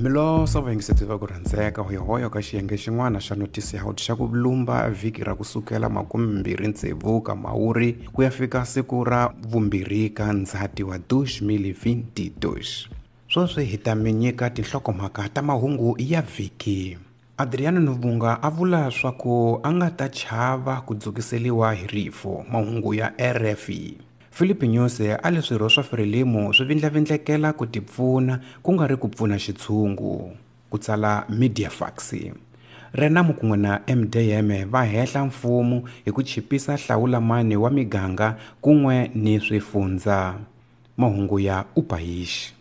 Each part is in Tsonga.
Miloso vayingiseti va ku rhandzeka hoyohoyo ka xiyenge xin'wana xa notisi ya xa ku lumba vhiki ra kusukela 26 ka Mhawuri ku ya fika siku ra 2 ka Ndzhati wa 2022. Sweswi hi ta mi nyika tinhlokomhaka ta mahungu ya vhiki. Adriano Nuvunga a vula swa ku a nga ta chava ku dzukiseliwa hi rifu, mahungu ya RFI. Filipe Nyusi a le swirho swa Frelimo swi vindlavindlekela ku tipfuna ku nga ri ku pfuna xitshungu, ku tsala Mediafax. Renamo kun'we na MDM va hehla mfumo hi ku chipisa hlawulamani wa miganga kun'we ni swifundza. Mahungu ya Upayishi.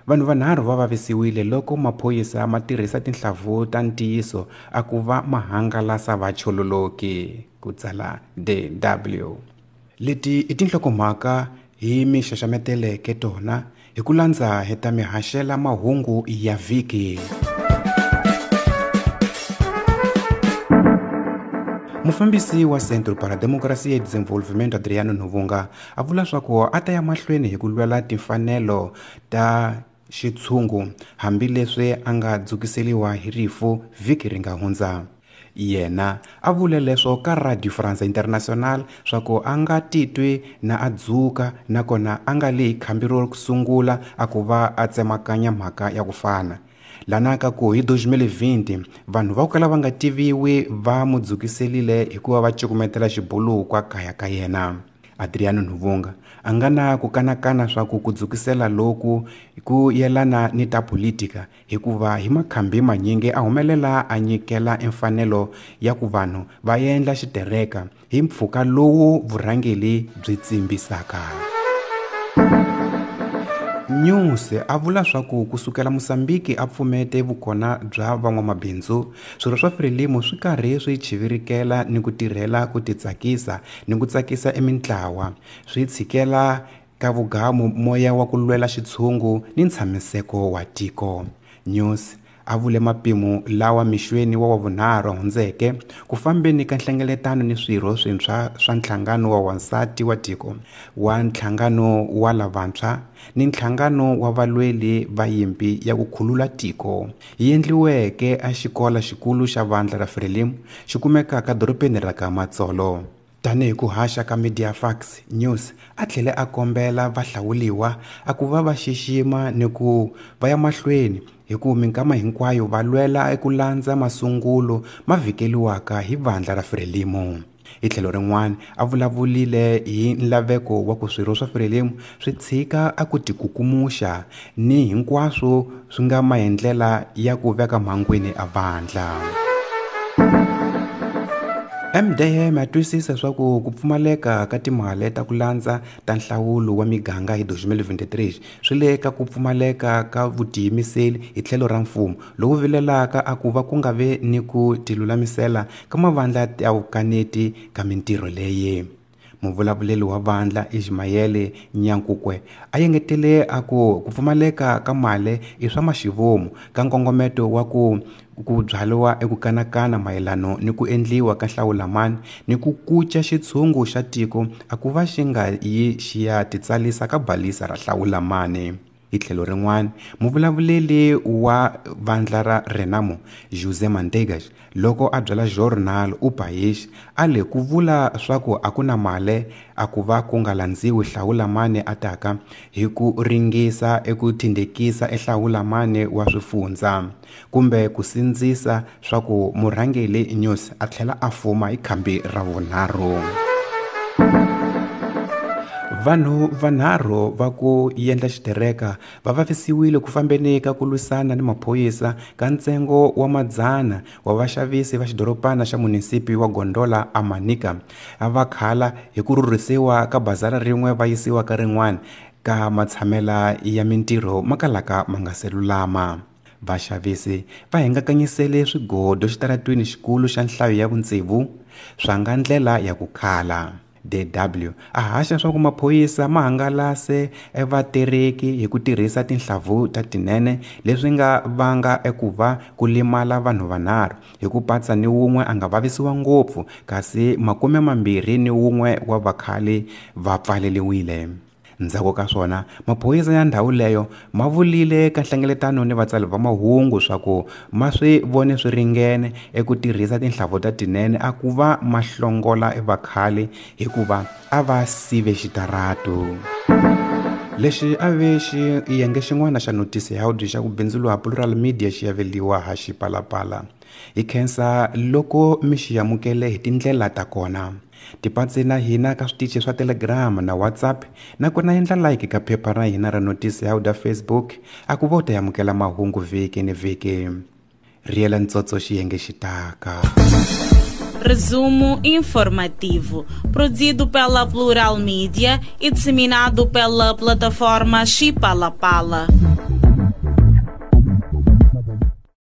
Vanhu vanharhu va vavisiwile loko maphorisa ma tirhisa tinhlavu ta ntiyiso a ku va mahangalasa vachololoki, ku tsala DW. Leti i tinhlokomhaka hi mi xaxameteleke tona hi ku landza hi ta mi haxela mahungu ya vhiki. Mufambisi wa Centro para Democracia e Desenvolvimento Adriano Nuvunga a vula swa ku a ta ya mahlweni hi ku lwela timfanelo ta xitshungu hambileswi a nga dzukiseliwa hi rifu vhiki ri nga hundza. Yena a vule leswo ka Radio France International swa ku a nga titwi na a dzuka nakona a nga le khambi ro sungula a ku va a tsemakanya mhaka ya ku fana. Lana ka ku hi 2020 vanhu va ku kala va nga tiviwi va mu dzukiselile hikuva va cukumetela xibuluka kaya ka yena. Adriano Nuvunga a nga na ku kanakana swa ku ku dzukisela loku ku yelana ni ta politika hikuva hi makhambi manyingi a humelela a nyikela emfanelo ya ku vanhu va endla xitereka hi mpfhuka lowu vurhangeri byi tsimbisaka. News a vula swa ku kusukela Mozambique a pfumete vukona bya van'wamabindzu, swirho swa Frelimo swi karhi swi chivirikela ni ku tirhela ku titsakisa ni ku tsakisa emintlawa, swi tshikela ka vugamu moya wa ku lwela xitshungu ni ntshamiseko wa tiko. News a vule mapimo lawa mixweni wa vunharhu hundzeke ku fambeni ka nhlengeletano ni swirho swintshwa swa nhlangano wa wansati wa tiko, wa nhlangano wa lavantshwa ni nhlangano wa valweli va yimpi ya ku khulula tiko, yi endliweke a xikola xikulu xa vandla ra Frelimo xi kumekaka dorobeni ra ka Matsolo. Tanihi ku haxa ka Mediafax, News a tlhele a kombela vahlawuliwa a ku va va xixima ni ku va ya mahlweni hi ku minkama hinkwayo va lwela eku landza masungulo ma vhikeliwaka hi vandla ra Frelimo. Hi tlhelo rin'wana a vulavulile hi nlaveko wa ku swirho swa Frelimo swi tshika a ku tikukumuxa ni hinkwaswo swi nga maendlela ya ku veka mhangwini a vandla. MDM a twisisa swa ku ku pfumaleka ka timali ta ku landza ta nhlawulo wa miganga hi 2023 swi le ka ku pfumaleka ka vutiyimiseli hi tlhelo ra mfumo lowu vilelaka a ku va ku nga ve ni ku tilulamisela ka mavandla ya vukaneti ka mintirho leyi. Muvulavuleri wa vandla Ismael Nyankukwe a yengetele a ku ku pfumaleka ka mali i swa maxivomu ka nkongometo wa ku ku byariwa eku kanakana mayelano ni ku endliwa ka hlawulamani ni ku kuca xitshungu xa tiko a ku va xi nga yi xi ya titsalisa ka balisa ra hlawulamani. Hi tlhelo rin'wana, muvulavuleri wa vandla ra Renamo, José Manteigas, loko a byela Jornal O País, a le ku vula swa ku a ku na mali a ku va ku nga landziwi hlawulamani a taka hi ku ringisa eku thindekisa ehlawulamani wa swifundza kumbe ku sindzisa swa ku murhangeri News a tlhela a fuma hi khambi ra vunharhu. Vanhu vanharhu va ku endla xitereka va vavisiwile ku fambeni ka ku lwisana ni maphorisa ka ntsengo wa madzana wa vaxavisi va xidorobana xa munisipi wa Gondola a Manica a va khala hi ku rhurhisiwa ka bazara rin'we va yisiwa ka rin'wana ka matshamela ya mintirho ma kalaka ma nga se lulama. Vaxavisi va hingakanyisele swigodo xitaratwini xikulu xa nhlayo ya vutsevu swa nga ndlela ya ku khala. DW a haxa swa ku maphorisa ma hangalase evatereki hi ku tirhisa tinhlavu ta tinene leswi nga vanga eku va ku limala vanhu vanharhu hi ku patsa ni wun'we a nga vavisiwa ngopfu kasi 21 wa vakhale va pfaleliwile. Ndzhaku ka swona, maphorisa ya ndhawu leyo ma vulile ka nhlengeletano ni vatsali va mahungu swa ku ma swi vone swi ringene eku tirhisa tinhlavu ta tinene a ku va ma hlongola vakhale hikuva a va sive xitaratu. Lexi a ve xiyenge xin'wana xa notisi ya xa ku bindzuriwa Plural Media xi aveliwa ha Xipalapala. Hi khensa loko mi xi amukele hi tindlela ta kona. Tipatsi na hina ka switichi swa Telegram na WhatsApp nakona endla like ka phepha ra hina ra notisi ya Facebook a ku vo ta amukela mahungu vhiki ni vhiki. Riela ntsotso xiyenge xi taka. Resumo informativo, produzido pela Plural Mídia e disseminado pela plataforma Chipalapala.